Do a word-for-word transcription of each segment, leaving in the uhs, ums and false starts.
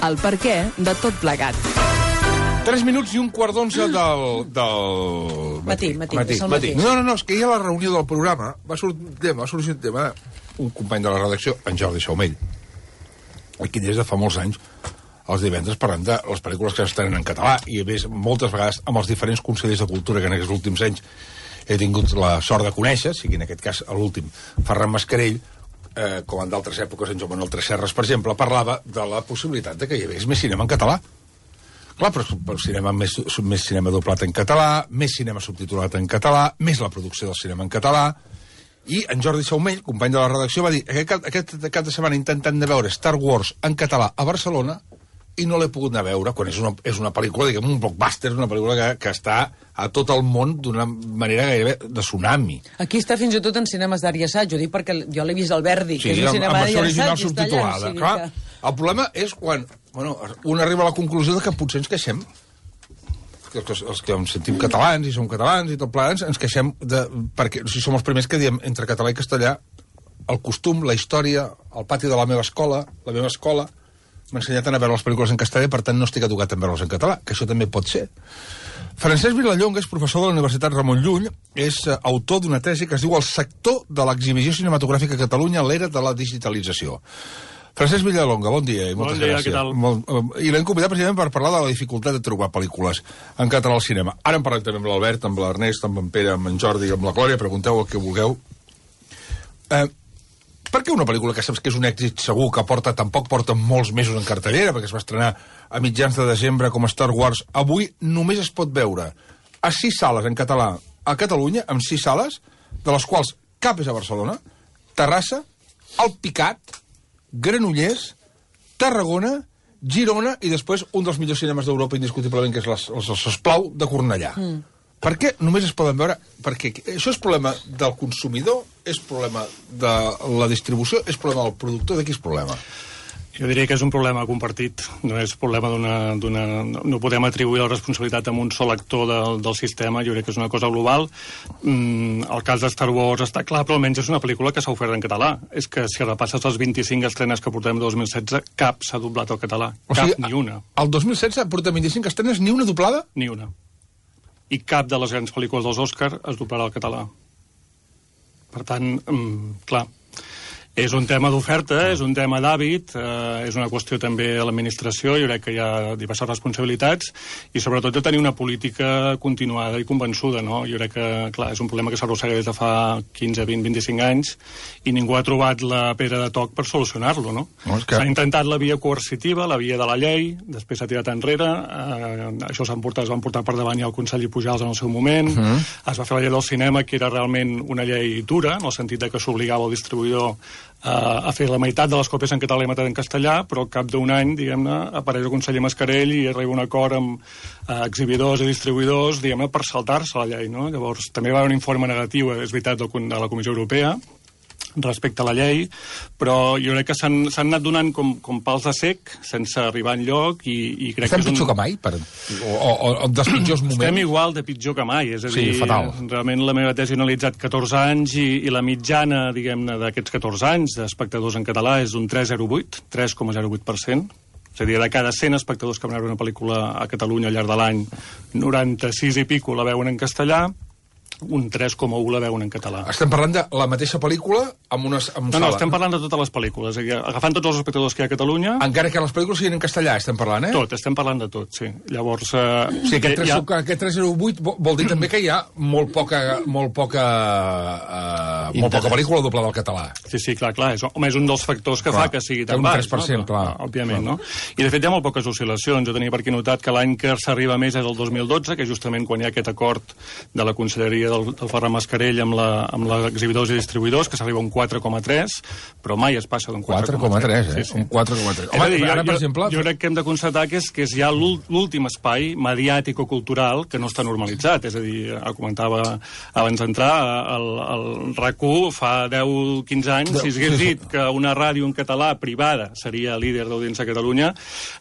el perquè de tot plegat. Tres minuts i un quart d'onze del... del... Matí, matí, matí. és el matí. matí. No, no, no, és que ja a la reunió del programa va sortir un tema, va sortir un tema un company de la redacció, en Jordi Saumell, aquí des de fa molts anys, els divendres parlant de les pel·lícules que s'estrenen en català, i a més, moltes vegades, amb els diferents consellers de cultura que en aquests últims anys he tingut la sort de conèixer, sigui en aquest cas l'últim, Ferran Mascarell, eh, com en d'altres èpoques, en Joan Manuel Tresserras, per exemple, parlava de la possibilitat de que hi hagués més cinema en català. Clar, però, però cinema, més, més cinema doblat en català, més cinema subtitulat en català, més la producció del cinema en català, i en Jordi Saumell, company de la redacció, va dir aquest, aquest cap de setmana intentant de veure Star Wars en català a Barcelona i no l'he pogut anar a veure, quan és una, és una pel·lícula, diguem, un blockbuster, una pel·lícula que, que està a tot el món d'una manera gairebé de tsunami. Aquí està fins i tot en cinemes d'art i assaig, ho dic perquè jo l'he vist al Verdi, sí, que és un cinema d'art i assaig, original subtitulada. Allà, Clar, que... el problema és quan bueno, un arriba a la conclusió de que potser ens queixem, que els, els que ens sentim catalans i som catalans i tot plegats, ens queixem de, perquè si som els primers que diem entre català i castellà el costum, la història, el pati de la meva escola, la meva escola m'ha ensenyat a veure les pel·lícules en castellà i per tant no estic educat en veure-les en català, que això també pot ser. Francesc Vilallonga és professor de la Universitat Ramon Llull, és uh, autor d'una tesi que es diu El sector de l'exhibició cinematogràfica a Catalunya a l'era de la digitalització. Francesc Vilallonga, bon dia i moltes bon dia, gràcies. Què tal? Molt, uh, I l'hem convidat precisament per parlar de la dificultat de trobar pel·lícules en català al cinema. Ara en parlem també amb l'Albert, amb l'Ernest, amb en Pere, amb en Jordi, amb la Glòria, pregunteu el que vulgueu. Eh... Per què una pel·lícula que saps que és un èxit segur, que porta, tampoc porta molts mesos en cartellera, perquè es va estrenar a mitjans de desembre com Star Wars, avui només es pot veure a sis sales en català a Catalunya, amb sis sales, de les quals cap és a Barcelona, Terrassa, Alpicat, Granollers, Tarragona, Girona i després un dels millors cinemes d'Europa indiscutiblement, que és les, els Esclau de Cornellà. Mm. Per què només es poden veure? Perquè això és problema del consumidor, és problema de la distribució, és problema del productor, de qui és problema? Jo diria que és un problema compartit, no és problema d'una... No podem atribuir la responsabilitat a un sol actor del, del sistema, jo crec que és una cosa global. Mm, el cas de Star Wars està clar, però almenys és una pel·lícula que s'ha ofert en català. És que si repasses les vint-i-cinc estrenes que portem el dos mil setze, cap s'ha doblat al català. O cap, sigui, ni una. El dos mil setze portem vint-i-cinc estrenes, ni una doblada? Ni una. I cap de les grans pel·lícules dels Òscar es doblarà al català. Per tant, mm, clar, és un tema d'oferta, és un tema d'hàbit, eh, és una qüestió també de l'administració, jo crec que hi ha diverses responsabilitats, i sobretot de tenir una política continuada i convençuda, no? Jo crec que, clar, és un problema que s'arrossega des de fa quinze, vint, vint-i-cinc anys, i ningú ha trobat la pedra de toc per solucionar-lo, no? no que... S'ha intentat la via coercitiva, la via de la llei, després s'ha tirat enrere, eh, això s'han portat, es van portar per davant ja el conseller Pujals en el seu moment, uh -huh. es va fer la llei del cinema, que era realment una llei dura, en el sentit de que s'obligava el distribuïdor a fer la meitat de les còpies en català i la meitat en castellà, però al cap d'un any, diguem-ne, apareix el conseller Mascarell i arriba un acord amb eh, exhibidors i distribuïdors, diguem-ne, per saltar-se la llei, no? Llavors, també va haver un informe negatiu, és veritat, de la Comissió Europea, respecte a la llei, però jo crec que s'han anat donant com, com pals de sec, sense arribar enlloc, i, i crec Estem que és un... pitjor que mai? Per... O, o, o dels pitjors moments? Estem igual de pitjor que mai, és a dir, sí, fatal. Realment la meva tesi ha analitzat catorze anys i, i la mitjana, diguem-ne, d'aquests catorze anys d'espectadors en català és un tres coma zero vuit, tres coma zero vuit per cent. És a dir, de cada cent espectadors que van veure una pel·lícula a Catalunya al llarg de l'any, noranta-sis i pico la veuen en castellà, un tres coma u la veuen en català. Estem parlant de la mateixa pel·lícula amb unes amb no, sala. No, estem parlant de totes les pel·lícules. És a dir, agafant tots els espectadors que hi ha a Catalunya... Encara que les pel·lícules siguin en castellà, estem parlant, eh? Tot, estem parlant de tot, sí. Llavors... Eh, sí, aquest, tres, ha... aquest tres coma zero vuit vol dir també que hi ha molt poca, molt poca, uh, molt poca pel·lícula doblada al català. Sí, sí, clar, clar. És, home, és un dels factors que clar, fa que sigui tan un baix. tres per cent, no? clar. Òbviament, clar. no? I, de fet, hi ha molt poques oscil·lacions. Jo tenia per aquí notat que l'any que s'arriba més és el dos mil dotze, que justament quan hi ha aquest acord de la Conselleria del, del Ferran Mascarell amb la, amb els exhibidors i distribuïdors, que s'arriba a un quatre coma tres, però mai es passa d'un quatre coma tres. quatre coma tres, eh? Sí, sí. Un quatre coma tres. Home, dir, ara, jo, per exemple... Jo crec que hem de constatar que és, que és ja l'últim espai mediàtic o cultural que no està normalitzat. És a dir, comentava abans d'entrar, el, el RAC u fa deu quinze anys, si s'hagués dit que una ràdio en català privada seria líder d'audiència a Catalunya,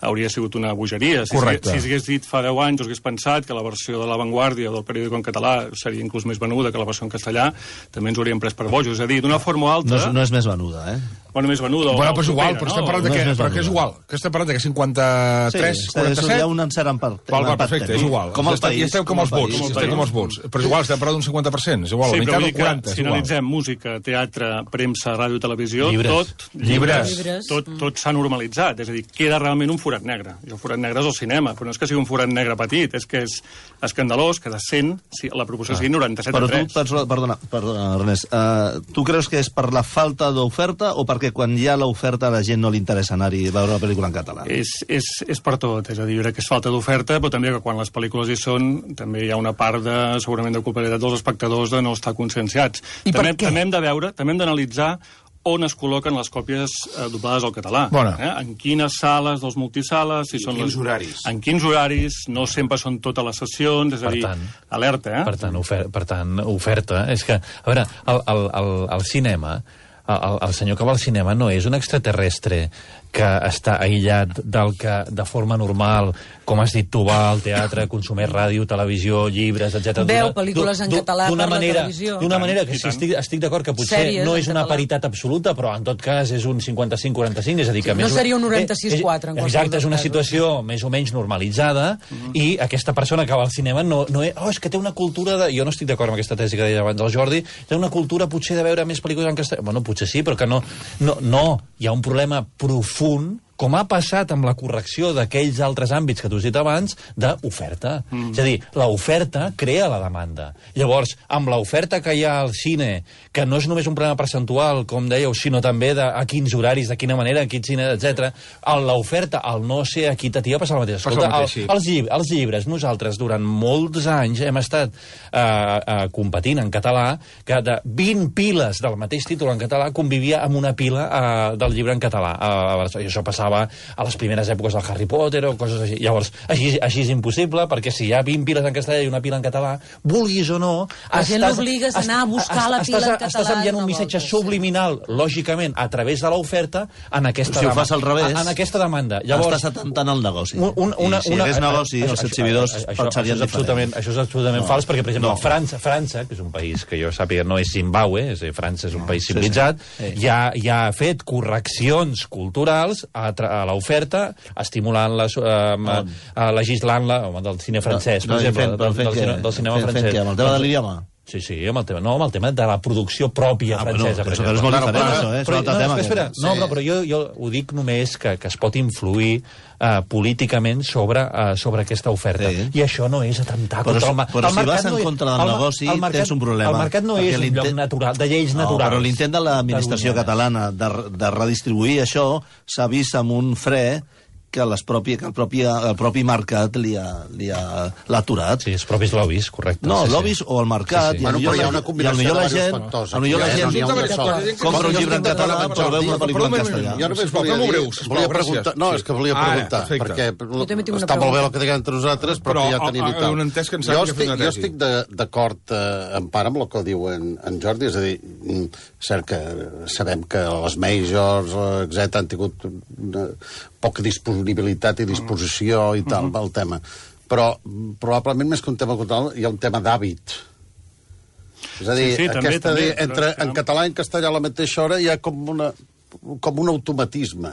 hauria sigut una bogeria. Si s'hagués dit fa deu anys, o hagués pensat que la versió de La Vanguardia del periòdico en català seria inclús més venuda que la versió en castellà, també ens ho hauríem pres per bojos. És a dir, d'una forma o altra... No és, no és més venuda, eh? bueno, més venuda. Bueno, o però és igual, propera, però no? estem parlant de No que, és més però que és venuda. igual, que estem parlant de que cinquanta-tres, Sí, quaranta-set... hi ha un encert en part. Val, val, perfecte, és igual. Com el Estem- país. I estem com els vots, el estem com els vots. Però és igual, estem parlant d'un cinquanta per cent, és igual, Sí, la però meitat vull o dir que quaranta, és si igual. analitzem música, teatre, premsa, ràdio, televisió, Llibres. tot, Llibres. Llibres. tot, tot s'ha normalitzat. És a dir, queda realment un forat negre. I el forat negre és el cinema, però no és que sigui un forat negre petit, és que és escandalós que de cent si la proporció sigui noranta-set a Però tu, tres. perdona, perdona, perdona Ernest, uh, tu creus que és per la falta d'oferta o perquè quan hi ha l'oferta a la gent no li interessa anar-hi a veure la pel·lícula en català? És, és, és per tot, és a dir, jo crec que és falta d'oferta, però també que quan les pel·lícules hi són, també hi ha una part de, segurament, de culpabilitat dels espectadors de no estar conscienciats. I per també, què? també hem de veure, també hem d'analitzar on es col·loquen les còpies eh, doblades al català. Bona. Eh? En quines sales dels multisales, si I són quins les... horaris. En quins horaris, no sempre són totes les sessions, és a Per dir, tant. alerta, eh? Per tant, ofer per tant, oferta. És que, a veure, el, el, el, el cinema, el, el senyor que va al cinema no és un extraterrestre que està aïllat del que, de forma normal, com has dit tu, va al teatre, consumeix ràdio, televisió, llibres, etcètera. Veu pel·lícules en català per la televisió. D'una manera que I sí, tant. estic, estic d'acord que potser Sèries no en és una català. paritat absoluta, però en tot cas és un cinquanta-cinc quaranta-cinc, és a dir que... Sí, més no o- seria un noranta-sis eh, quatre en qualsevol Exacte, és dels una casos. situació més o menys normalitzada i aquesta persona que va al cinema no, no és, oh, és que té una cultura de... Jo no estic d'acord amb aquesta tesi que deia abans el Jordi, té una cultura potser de veure més pel·lícules en castellà. Bueno, potser sí, però que no... No, no hi ha un problema profund com ha passat amb la correcció d'aquells altres àmbits que tu has dit abans, d'oferta. Mm. És a dir, l'oferta crea la demanda. Llavors, amb l'oferta que hi ha al cine, que no és només un problema percentual, com dèieu, sinó també de a quins horaris, de quina manera, a quin cine, etcètera, l'oferta, al no ser equitativa, passa el mateix. Passa el Escolta, mateix, sí. el, els, llibres, els llibres, nosaltres, durant molts anys hem estat eh, eh, competint en català, que de vint piles del mateix títol en català convivia amb una pila eh, del llibre en català. Eh, I això passava a les primeres èpoques del Harry Potter o coses així. Llavors, així, així és impossible, perquè si hi ha vint piles en castellà i una pila en català, vulguis o no... La gent l'obligues a anar a buscar la pila en català Estàs enviant un una missatge volta, sí. subliminal, lògicament, a través de l'oferta, en aquesta Si ho demanda. fas al revés, En aquesta demanda. Llavors, estàs atentant al negoci. un, un, una, I si una, hagués negoci, això- els això- exhibidors això, això, pensarien això és absolutament, diferent. això és absolutament No. fals, perquè, per exemple, No. França, França, que és un país que jo sàpiga no és Zimbabue, és a dir, França és un país sí, civilitzat, sí. Sí. ja, ja ha fet correccions culturals a, tra- a l'oferta, estimulant-la, eh, eh, legislant-la, home, del cine francès, per No, i exemple, fent- del, fent del, què? cine- del cinema Fent- fent francès. què? Amb el tema de l'idioma? Sí, sí, amb el tema, no, amb el tema de la producció pròpia Ah, francesa, bueno, per això exemple. és molt Claro, diferent, clar. això, eh? És Però, un altre no, tema. és que, espera, aquest. no, però, però jo, jo ho dic només que, que es pot influir uh, políticament sobre, uh, sobre aquesta oferta. Sí. I això no és atemptar Però contra si- el, ma- però el si mercat. vas en no és- contra del el ma- negoci, el mercat- tens un problema. El mercat no és Perquè un lloc l'intent- natural, de lleis No, naturals. però l'intent de l'administració catalana de, de redistribuir això s'ha vist amb un fre que, les propi, que el, propi, el propi mercat li ha, li ha, l'ha aturat. Sí, els propis lobbies, correcte. No, sí, sí. lobbies o el mercat. Sí, sí. i Bueno, millor però hi ha la- una combinació i potser de la diversos gent, factors. a millor la Aquí gent n'hi ha un Resulta de que sol. jo compra un estic llibre en d'acord català amb per veure una Jordi. pel·lícula en Però, castellà. però, Jo només Sisplau, volia fem-ho dir... breu, sisplau, volia gràcies. preguntar, no, Sí. és que volia Ara, preguntar, perfecte. perquè Jo també tinc una està molt bé pregunta. el que diguem entre nosaltres, però, Però, que ja ah, tenim i ah, tal. un entès que en jo sàpiga fer estic, una jo tesi. estic de- d'acord eh, en part amb el que diu en, en Jordi, és a dir, mm, cert que sabem que les majors, eh, etcètera, han tingut una poca disponibilitat i disposició i tal, pel tema. Però mm, probablement més que un tema cultural hi ha un tema d'hàbit. És a dir, Sí, sí, també, aquesta, també, dir, però entre, és que- en català i en castellà a la mateixa hora hi ha com, una, com un automatisme.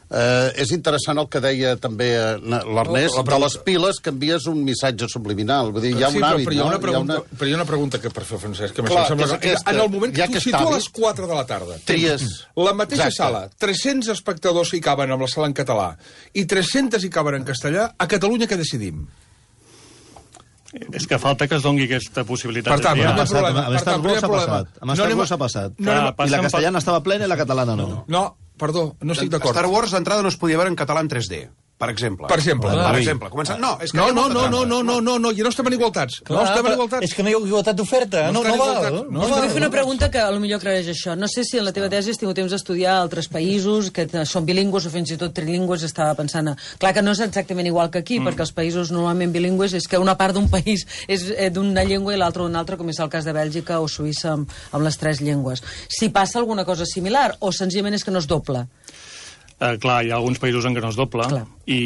Eh, és interessant el que deia també eh, l'Ernest, La- la de pregunta- les piles que envies un missatge subliminal. Vull dir, hi ha sí, un però, hàbit, però, hi ha no? una Hi ha pregunta, una- però hi ha una pregunta que per fer Francesc, que Clar, m'això sembla és que aquesta. en el moment Hi que ha tu aquest situa a hàbit. les quatre de la tarda, Tries. la mateixa Exacte. sala, tres-cents espectadors hi caben amb la sala en català i tres-cents hi caben en castellà, a Catalunya què decidim? És que falta que es doni aquesta possibilitat. Per tant, de Ha primer triar. passat, problema, amb per Star tant, Wars ha primer problema. passat. Amb No Star anem a- Wars ha passat. no anem a- I la Passen castellana estava plena i la catalana no. No, perdó, no estic d'acord. Star Wars d'entrada no es podia veure en català en tres D, per exemple. Per exemple. Per Ah. exemple. Començant... No, és que No, hi ha no, molta no, no, trampa. no, no, no, no, ja no estem en igualtats. No Clar, estem en però igualtats. És que no hi ha igualtat d'oferta, no, està no, en val. igualtat. No, No Jo val. vull fer una pregunta que potser aclareix això. No sé si en la teva tesi has tingut temps d'estudiar altres països que t- són bilingües o fins i tot trilingües. Estava pensant... A... Clar que no és exactament igual que aquí, mm. perquè els països normalment bilingües és que una part d'un país és eh, d'una llengua i l'altra d'una altra, com és el cas de Bèlgica o Suïssa amb, amb les tres llengües. Si passa alguna cosa similar o senzillament és que no es dobla? Eh, clar, hi ha alguns països en què no es doble. Clar. i,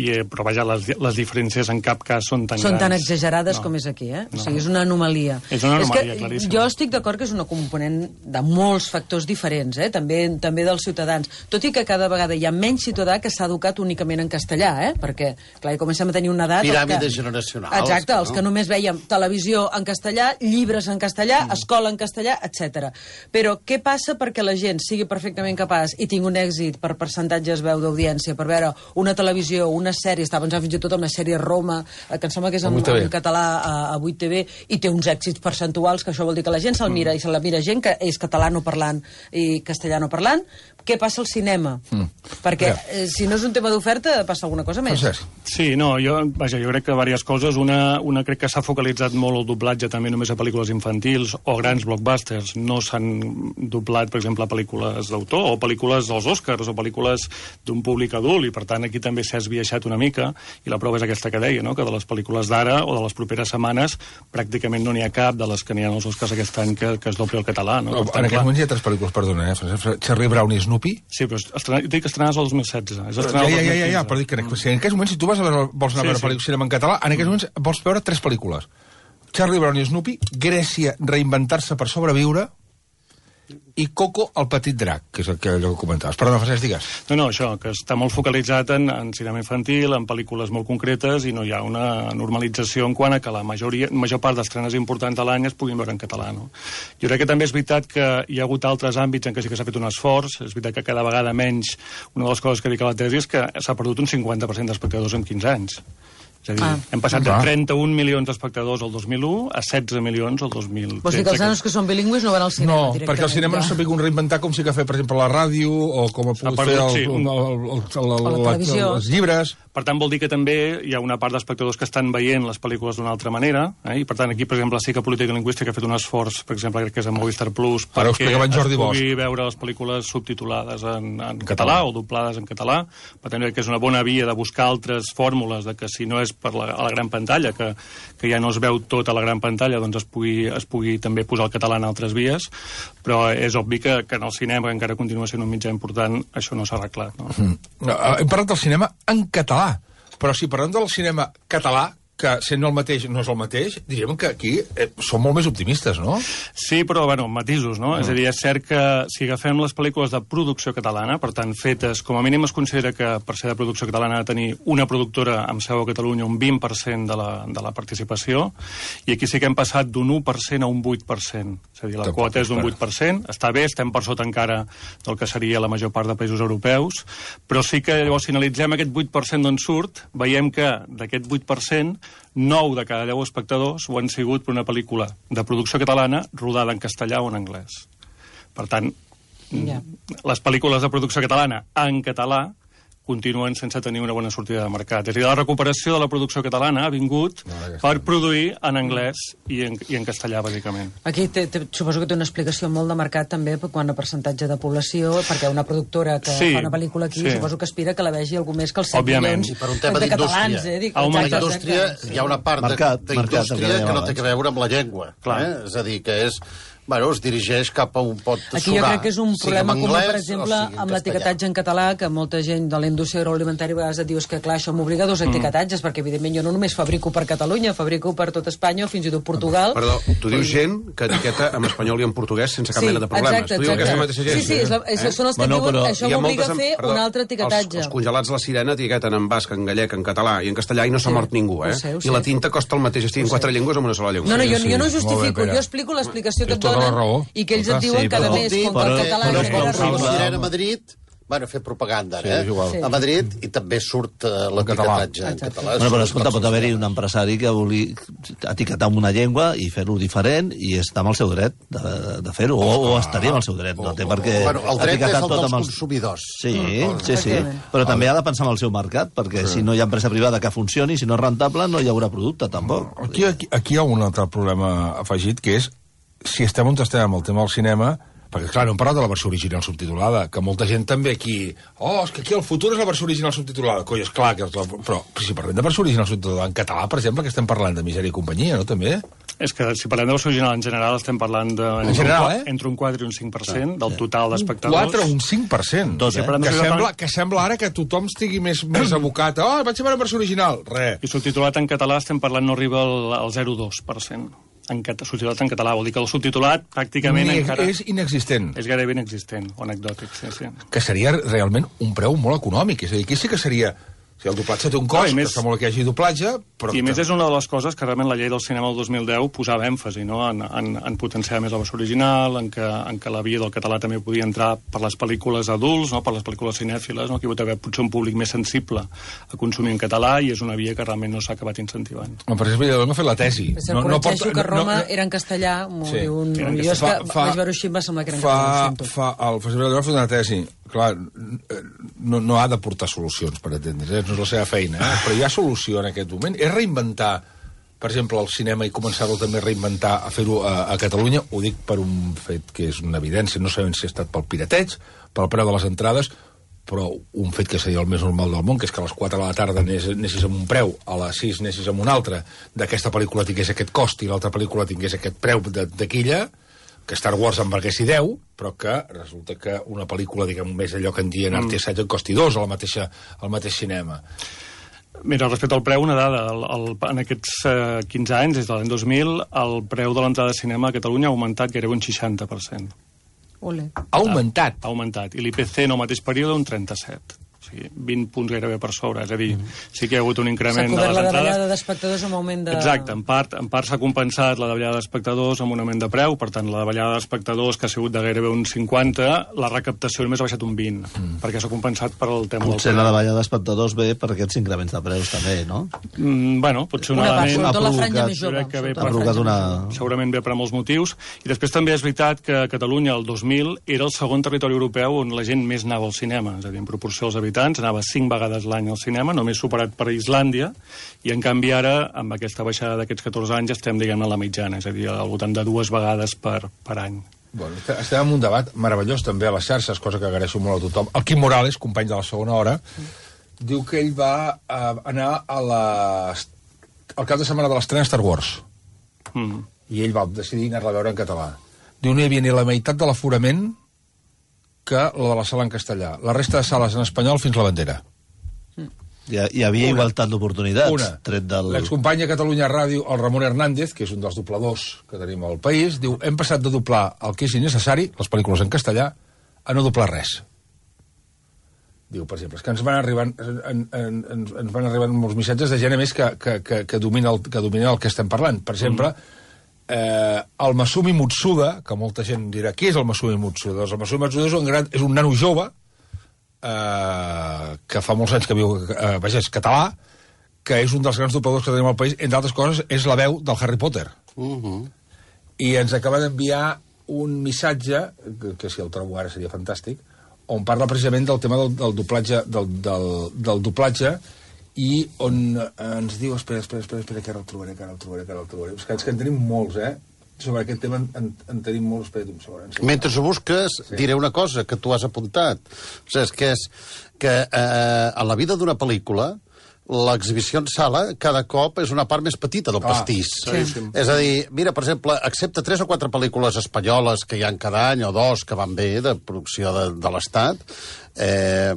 i, però vaja, les, les diferències en cap cas són tan són grans. tan exagerades no. com és aquí, eh? No. O sigui, és una anomalia. És una anomalia, és que claríssima. jo estic d'acord que és una component de molts factors diferents, eh? també, també dels ciutadans. Tot i que cada vegada hi ha menys ciutadà que s'ha educat únicament en castellà, eh? perquè, clar, comencem a tenir una edat... Piràmides que... generacionals. Exacte, els no? que només veiem televisió en castellà, llibres en castellà, mm. escola en castellà, etcètera. Però què passa perquè la gent sigui perfectament capaç i tingui un èxit per percentatges veu d'audiència, per veure una televisió, una sèrie, està pensant fins i tot en la sèrie Roma, que em sembla que és en, en català a, a vuit T V, i té uns èxits percentuals, que això vol dir que la gent se'l mira, mm. i se la mira gent que és catalano parlant i castellano parlant. Què passa al cinema? Mm. Perquè eh, si no és un tema d'oferta, passa alguna cosa més. Sí, no, jo, vaja, jo crec que diverses coses. Una, una crec que s'ha focalitzat molt el doblatge també només a pel·lícules infantils o grans blockbusters. No s'han doblat, per exemple, pel·lícules d'autor o pel·lícules dels Oscars o pel·lícules d'un públic adult, i per tant aquí també s'ha esbiaixat una mica, i la prova és aquesta que deia, no? que de les pel·lícules d'ara o de les properes setmanes pràcticament no n'hi ha cap de les que n'hi ha als Oscars aquest any que, que es dobli al català. No? No, en aquest moment hi ha tres pel·lícules, perdona, eh? Charlie Brown i Snoopy. Sí, però estrenar, dic estrenades el dos mil setze. És ja, ja, ja, ja, ja, però dic que si en aquests moments, si tu vas a veure, vols anar sí, a veure sí. cinema en català, en aquests moments vols veure tres pel·lícules. Charlie Brown i Snoopy, Grècia, reinventar-se per sobreviure, i Coco, el petit drac, que és el que, allò que comentaves. Perdona, Francesc, digues. No, no, això, que està molt focalitzat en, en cinema infantil, en pel·lícules molt concretes, i no hi ha una normalització en quant a que la majoria, major part d'estrenes importants de l'any es puguin veure en català. No? Jo crec que també és veritat que hi ha hagut altres àmbits en què sí que s'ha fet un esforç, és veritat que cada vegada menys, una de les coses que dic a la tesi és que s'ha perdut un cinquanta per cent d'espectadors en quinze anys. És a dir, ah. hem passat de trenta-un milions d'espectadors el dos mil u a setze milions el dos mil tretze. Vols dir que els nanos que són bilingües no van al cinema no, directament? No, perquè el cinema ja. no s'ha pogut reinventar com sí que ha fet, per exemple, la ràdio, o com ha pogut perdut, fer el, sí. el, el, el, el, el, la el, els llibres. Per tant, vol dir que també hi ha una part d'espectadors que estan veient les pel·lícules d'una altra manera, eh? I per tant, aquí, per exemple, sí que Política Lingüística ha fet un esforç, per exemple, crec que és en Movistar Plus, Ara perquè es pugui Bosch. veure les pel·lícules subtitulades en, en català o doblades en català. Per tant, crec que és una bona via de buscar altres fórmules de que si no és per la, a la gran pantalla, que, que ja no es veu tot a la gran pantalla, doncs es pugui, es pugui també posar el català en altres vies, però és obvi que, que en el cinema, que encara continua sent un mitjà important, això no s'ha arreglat. No? Mm. Hem parlat del cinema en català, però si parlem del cinema català, que sent el mateix no és el mateix, diríem que aquí eh, som molt més optimistes, no? Sí, però, bueno, matisos, no? Mm. És a dir, és cert que si agafem les pel·lícules de producció catalana, per tant, fetes, com a mínim es considera que per ser de producció catalana ha de tenir una productora amb seu a Catalunya un vint per cent de la, de la participació, i aquí sí que hem passat d'un u per cent a un vuit per cent. És a dir, la Tampoc quota és d'un vuit per cent, està bé, estem per sota encara del que seria la major part de països europeus, però sí que llavors si analitzem aquest vuit per cent d'on surt, veiem que d'aquest vuit per cent nou de cada deu espectadors ho han sigut per una pel·lícula de producció catalana rodada en castellà o en anglès. Per tant, yeah. les pel·lícules de producció catalana en català continuen sense tenir una bona sortida de mercat. És a dir, la recuperació de la producció catalana ha vingut no, per produir en anglès i en, i en castellà, bàsicament. Aquí te, te, suposo que té una explicació molt de mercat també quant a percentatge de població, perquè una productora que sí, fa una pel·lícula aquí sí. suposo que aspira que la vegi algú més que els set milions I per un tema de catalans. Eh? Dic, a una indústria hi ha una part d'indústria que no té que veure amb la llengua. Eh? És a dir, que és... Bueno, es dirigeix cap a un pot surar. Aquí jo crec que és un problema comú, per exemple, amb l'etiquetatge en català, que molta gent de la indústria agroalimentària a vegades et diu que, clar, això m'obliga a dos etiquetatges, mm. perquè, evidentment, jo no només fabrico per Catalunya, fabrico per tot Espanya o fins i tot Portugal. Perdó, tu dius gent que etiqueta en espanyol i en portuguès sense cap sí, mena de problemes. Exacte, exacte. Sí, sí, és la, és, eh? són els que bueno, diuen això m'obliga a fer perdó, un altre etiquetatge. Els, els congelats de la Sirena etiqueten en basc, en gallec, en català i en castellà i no s'ha sí, mort ningú, eh? Sé, I la tinta costa el mateix, estigui en quatre llengües o en una sola llengua. No, no, jo, jo no justifico, jo explico l'explicació que et donen i que ells et diuen cada mes com que el català genera raó. La Sirena a Madrid, bueno, fer propaganda, eh? Sí, a Madrid, i també surt uh, l'etiquetatge en català. Bueno, però escolta, pot haver-hi un empresari que vulgui etiquetar amb una llengua i fer-ho diferent i està amb el seu dret de, de fer-ho, o, o estaria amb el seu dret, no té per què bueno, el dret és el dels els... consumidors. Sí, sí, sí, però també ha de pensar en el seu mercat, perquè si no hi ha empresa privada que funcioni, si no és rentable, no hi haurà producte, tampoc. Aquí, aquí, aquí hi ha un altre problema afegit, que és si estem on estem amb el tema del cinema, Perquè, clar, no hem parlat de la versió original subtitulada, que molta gent també aquí... Oh, és que aquí el futur és la versió original subtitulada. Coi, és clar, que és la... però si parlem de versió original subtitulada en català, per exemple, que estem parlant de Misèria i companyia, no, també? És que si parlem de versió original en general estem parlant de... En general, eh? Entre un quatre i un cinc per cent del total d'espectadors. Un quatre o un cinc per cent. Dos, eh? Que sembla, que sembla ara que tothom estigui més, més abocat. Oh, vaig a veure versió original. Re. I subtitulat en català estem parlant no arriba al, al zero coma dos per cent. En cat... subtitulat en català, vol dir que el subtitulat pràcticament Ni, encara... És inexistent. És gairebé inexistent, o anecdòtic, sí, sí. Que seria realment un preu molt econòmic. És a dir, aquí sí que seria... O sigui, el doblatge té un cost, no, més, que està molt que hi hagi doblatge, però... I més és una de les coses que realment la llei del cinema del dos mil deu posava èmfasi, no?, en, en, en potenciar més la versió original, en que, en que la via del català també podia entrar per les pel·lícules adults, no?, per les pel·lícules cinèfiles, no?, que hi pot haver potser un públic més sensible a consumir en català, i és una via que realment no s'ha acabat incentivant. No, per exemple, jo no he fet la tesi. Però no, no pot, que Roma no, no, era en castellà, sí, un... jo és que fa, vaig veure així, em va semblar que era en català. Fa, fa, el Festival de Lloret ha fet una tesi. Clar, no, no ha de portar solucions, per entendre's, eh? No és la seva feina, eh? Però hi ha solució en aquest moment. És reinventar, per exemple, el cinema i començar-lo també a reinventar, a fer-ho a, a Catalunya. Ho dic per un fet que és una evidència, no sabem si ha estat pel pirateig, pel preu de les entrades, però un fet que seria el més normal del món, que és que a les quatre de la tarda anessis amb un preu, a les sis anessis amb un altre, d'aquesta pel·lícula tingués aquest cost i l'altra pel·lícula tingués aquest preu de taquilla, que Star Wars en valguessi deu, però que resulta que una pel·lícula, diguem, més allò que en dien art i assaig en costi dos al mateix, al mateix cinema. Mira, respecte al preu, una dada. El, el, en aquests eh, quinze anys, des de l'any dos mil, el preu de l'entrada de cinema a Catalunya ha augmentat gairebé un seixanta per cent. Ole. Ha augmentat? Ha, ha augmentat. I l'I P C en el mateix període un trenta-set. O sigui, vint punts gairebé per sobre. És a dir, sí que hi ha hagut un increment de les entrades. S'ha cobert la davallada d'espectadors amb augment de... Exacte. En part, en part s'ha compensat la davallada d'espectadors amb un augment de preu. Per tant, la davallada d'espectadors, que ha sigut de gairebé un cinquanta, la recaptació només ha baixat un vint, mm. perquè s'ha compensat per al tema potser del... la davallada d'espectadors ve per aquests increments de preus també, no? Mm, bueno, potser un una element... Part, la franja més jove. Que ve ha provocat una... Segurament ve per molts motius. I després també és veritat que Catalunya, el dos mil, era el segon territori europeu on la gent més anava al cinema. És a dir, en proporció als habitants, anava cinc vegades l'any al cinema, només superat per Islàndia, i en canvi ara, amb aquesta baixada d'aquests catorze anys, estem, diguem, a la mitjana, és a dir, al voltant de dues vegades per, per any. Bueno, estem en un debat meravellós també a les xarxes, cosa que agraeixo molt a tothom. El Quim Morales, company de la segona hora, mm. diu que ell va uh, anar a la... al cap de setmana de l'estrena Star Wars. Mm. I ell va decidir anar-la a veure en català. Diu, no hi havia ni la meitat de l'aforament que la de la sala en castellà. La resta de sales en espanyol fins la bandera. Hi, hi havia una. Igualtat d'oportunitats. Una. Tret del... L'excompany a Catalunya Ràdio, el Ramon Hernández, que és un dels dobladors que tenim al país, diu, hem passat de doblar el que és innecessari, les pel·lícules en castellà, a no doblar res. Diu, per exemple, és que ens van arribant, en, en, en, ens van arribant molts missatges de gent, a més, que, que, que, que, domina el, que domina el que estem parlant. Per exemple, mm. eh, el Masumi Mutsuda, que molta gent dirà, qui és el Masumi Mutsuda? Doncs el Masumi Mutsuda és un, gran, és un nano jove, Uh, que fa molts anys que viu, uh, vaja, és català, que és un dels grans dobladors que tenim al país, entre altres coses, és la veu del Harry Potter. Uh -huh. I ens acaba d'enviar un missatge, que, que si el trobo ara seria fantàstic, on parla precisament del tema del, del doblatge, del, del, del doblatge, i on uh, ens diu, espera, espera, espera, espera, que ara el trobaré, que ara el trobaré, que ara el trobaré. És que, és que en tenim molts, eh? Sobre aquest tema en, en, en tenim molt... Espera, mentre ho busques, sí. Diré una cosa que tu has apuntat. O sigui, és que, és que eh, a la vida d'una pel·lícula, l'exhibició en sala cada cop és una part més petita del ah, pastís. Sí. És a dir, mira, per exemple, excepte tres o quatre pel·lícules espanyoles que hi ha cada any, o dos que van bé, de producció de, de l'Estat, eh,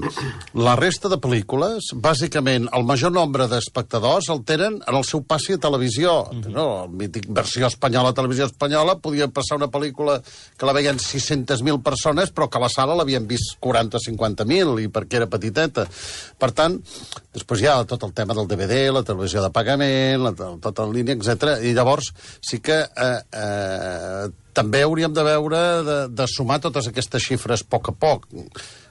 la resta de pel·lícules, bàsicament, el major nombre d'espectadors el tenen en el seu passi a televisió. Mm -hmm. No? El mític versió espanyola a televisió espanyola podia passar una pel·lícula que la veien sis-centes mil persones, però que a la sala l'havien vist quaranta o cinquanta mil, i perquè era petiteta. Per tant, després hi ha tot el tema del D V D, la televisió de pagament, la, tota en línia, etcètera. I llavors sí que eh, eh, també hauríem de veure de, de sumar totes aquestes xifres a poc a poc.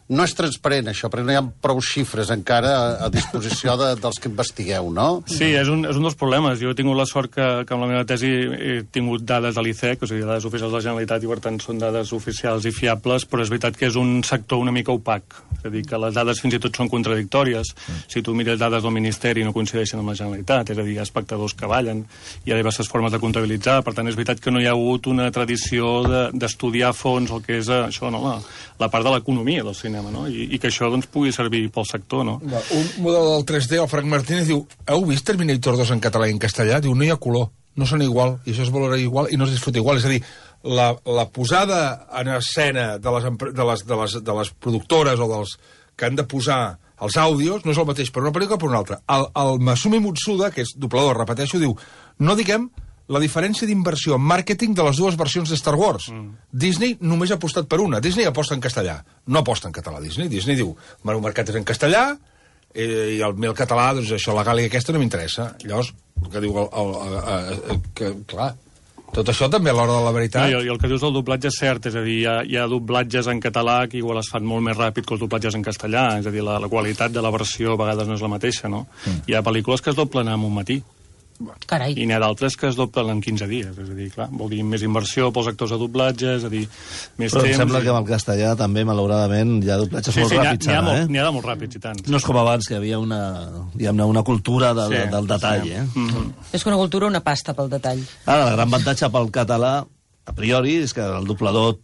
no és transparent, això, perquè no hi ha prou xifres encara a, a disposició de, dels que investigueu, no? Sí, és un, és un dels problemes. Jo he tingut la sort que, que amb la meva tesi he tingut dades de l'I C E C, o sigui, dades oficials de la Generalitat, i per tant són dades oficials i fiables, però és veritat que és un sector una mica opac. És a dir, que les dades fins i tot són contradictòries. Mm. Si tu mires dades del Ministeri no coincideixen amb la Generalitat, és a dir, hi ha espectadors que ballen, hi ha diverses formes de comptabilitzar, per tant és veritat que no hi ha hagut una tradició d'estudiar de, a fons el que és això, no? la, la part de l'economia del cinema. No? I, i que això doncs, pugui servir pel sector. No? Un model del tres D, el Frank Martínez, diu: heu vist Terminator dos en català i en castellà? Diu, no hi ha color, no són igual, i això es valora igual i no es disfruta igual. És a dir, la, la posada en escena de les, de, les, de, les, de les productores o dels que han de posar els àudios no és el mateix per una pel·lícula que per una altra. El, el Masumi Mutsuda, que és doblador, repeteixo, diu: no diguem la diferència d'inversió en màrqueting de les dues versions de Star Wars. Mm. Disney només ha apostat per una. Disney aposta en castellà. No aposta en català, Disney. Disney diu, el meu mercat és en castellà, eh, i el meu català, doncs això, la gàlia aquesta no m'interessa. Llavors, que diu el, el, el, el, el, que, clar, tot això també a l'hora de la veritat. No, i, el que dius del doblatge és cert, és a dir, hi ha, hi ha doblatges en català que igual es fan molt més ràpid que els doblatges en castellà, és a dir, la, la qualitat de la versió a vegades no és la mateixa, no? Mm. Hi ha pel·lícules que es doblen en un matí. Carai. I n'hi ha d'altres que es doblen en quinze dies, és a dir, clar, vol dir més inversió pels actors de doblatge, és a dir, més Però temps... em sembla i... que amb el castellà també, malauradament, hi ha doblatges sí, molt sí, ràpids, ara, eh? N'hi ha de molt ràpids, i tant. No és com abans, que hi havia una, diguem-ne, una cultura del, sí, del detall, sí. eh? Mm-hmm. És que una cultura, una pasta pel detall. Ara, el gran avantatge pel català, a priori, és que el doblador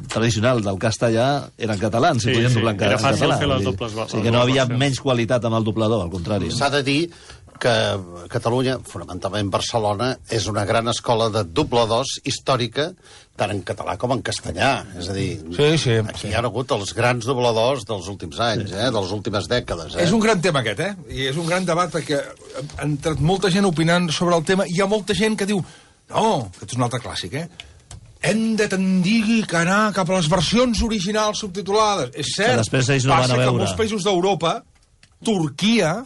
tradicional del castellà era en català, si Sí, podien sí, doblar en era català. fàcil fer les Vull dir, dobles- O sigui que no les havia versions. menys qualitat amb el doblador, al contrari. S'ha de dir que Catalunya, fonamentalment Barcelona, és una gran escola de dobladors històrica, tant en català com en castellà. És a dir, Sí, sí, aquí sí. hi ha hagut els grans dobladors dels últims anys, eh, de les últimes dècades. Eh? És un gran tema aquest, eh? I és un gran debat perquè ha entrat molta gent opinant sobre el tema. Hi ha molta gent que diu, no, aquest és un altre clàssic, eh? Hem de tendir que anar cap a les versions originals subtitulades. És cert, Que després ells no passa van a que veure. molts països d'Europa, Turquia,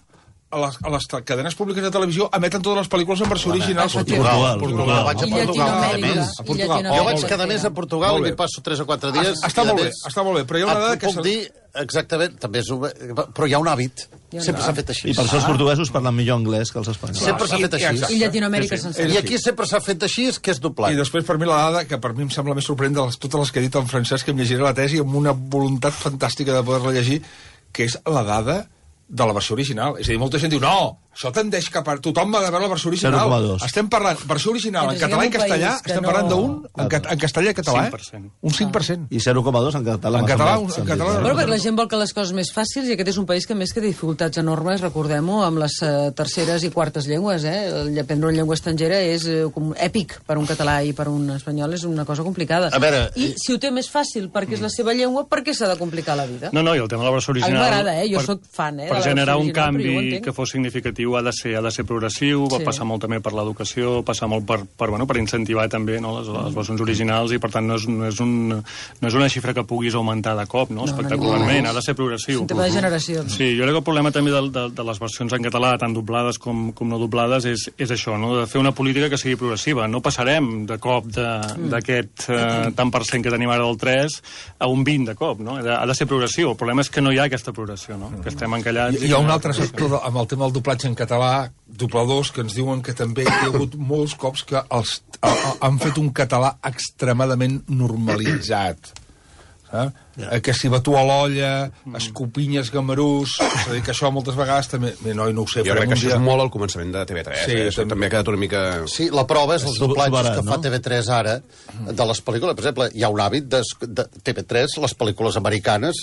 a les, a les cadenes públiques de televisió emeten totes les pel·lícules en versió original. Portugal, Portugal. Vaig a I Portugal, a Llatinoamèrica. més. A Portugal. I Jo vaig Llatinoamèrica. cada mes a Portugal Molt i bé. m'hi passo tres o quatre dies. Ah, està i, a molt bé, més, està molt bé, però hi ha una et dada que puc se- dir, exactament, també és un... però hi ha un hàbit. Sempre s'ha fet així. I per això els portuguesos parlen millor anglès que els espanyols. Sempre s'ha fet I- així. exacte. I Llatinoamèrica Sí, sí. sencera. I aquí sempre s'ha fet així, que és doblat. I després, per mi, la dada, que per mi em sembla més sorprenent de les, totes les que he dit en francès, que em llegiré la tesi amb una voluntat fantàstica de poder-la llegir, que és la dada de la versió original. És a dir, molta gent diu, no, això tendeix cap a... Tothom ha de veure la versió original. zero coma dos. Estem parlant, versió original, Però en siguem català i un castellà, país que estem no- parlant d'un, en, ca- en castellà i català, cinc per cent. eh? Un cinc per cent. I zero coma dos en català. En m'ha català, semblat en sentit, català- eh? Però perquè la gent vol que les coses més fàcils, i aquest és un país que més que dificultats enormes, recordem-ho, amb les uh, terceres i quartes llengües, eh? El aprendre una llengua estrangera és uh, com èpic per un català i per un espanyol, és una cosa complicada. A veure, I i- si ho té més fàcil perquè és la seva llengua, per què s'ha de complicar la vida? No, no, i el tema de la versió A mi original... m'agrada, eh? Jo sóc fan, eh, de Per la generar versió un original, però jo ho canvi entenc. que fos significatiu ha de ser, ha de ser progressiu, va Sí. passar molt també per l'educació, passar molt per, per, bueno, per incentivar també, no, les, les versions originals, i per tant no és, no, és un, no és una xifra que puguis augmentar de cop, no, no, espectacularment, no. ha de ser progressiu. És un tema de generacions. Sí, jo crec que el problema també de, de, de les versions en català, tant doblades com, com no doblades, és, és això, no? De fer una política que sigui progressiva. No passarem de cop d'aquest eh, tant per cent que tenim ara del tres a un vint de cop, no? Ha de, ha de ser progressiu. El problema és que no hi ha aquesta progressió, no? Que estem encallats... Hi, hi ha un altre sector de, amb el tema del doblatge en català, dobladors, que ens diuen que també hi ha hagut molts cops que els, a, a, han fet un català extremadament normalitzat. Saps? Yeah. Que si batu a l'olla, escopinyes gamarús... És a dir, que això moltes vegades també... Bé, no, no ho sé, Jo crec farem que un això dia... és molt al començament de T V tres. Sí, eh? Això també. també ha quedat una mica... Sí, la prova és els Sub- doblatges subarat, que fa no? T V tres ara de les pel·lícules. Per exemple, hi ha un hàbit de, de T V tres, les pel·lícules americanes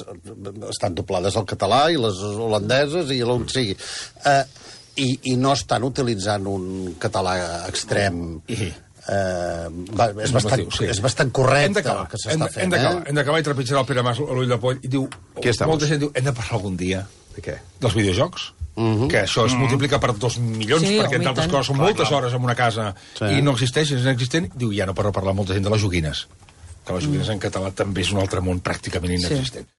estan doblades al català i les holandeses i l'on sigui. Eh, i, I no estan utilitzant un català extrem... I... Eh, va, és, bastant, Sí. és bastant Hem correcte d'acabar, el que hem s'està de- fent. hem d'acabar, Eh? hem d'acabar i trepitjar el Pere Mas a l'ull de poll i diu... Aquí estamos. Molta gent diu, hem de parlar algun dia De què? dels videojocs. Mhm. Que això es multiplica per dos milions, Sí, perquè home, entre i altres tant. coses són moltes hores en una casa Sí. i no existeix, és inexistent. Diu, ja no per no parlar molta gent de les joguines. Que les joguines en català també és un altre món pràcticament inexistent.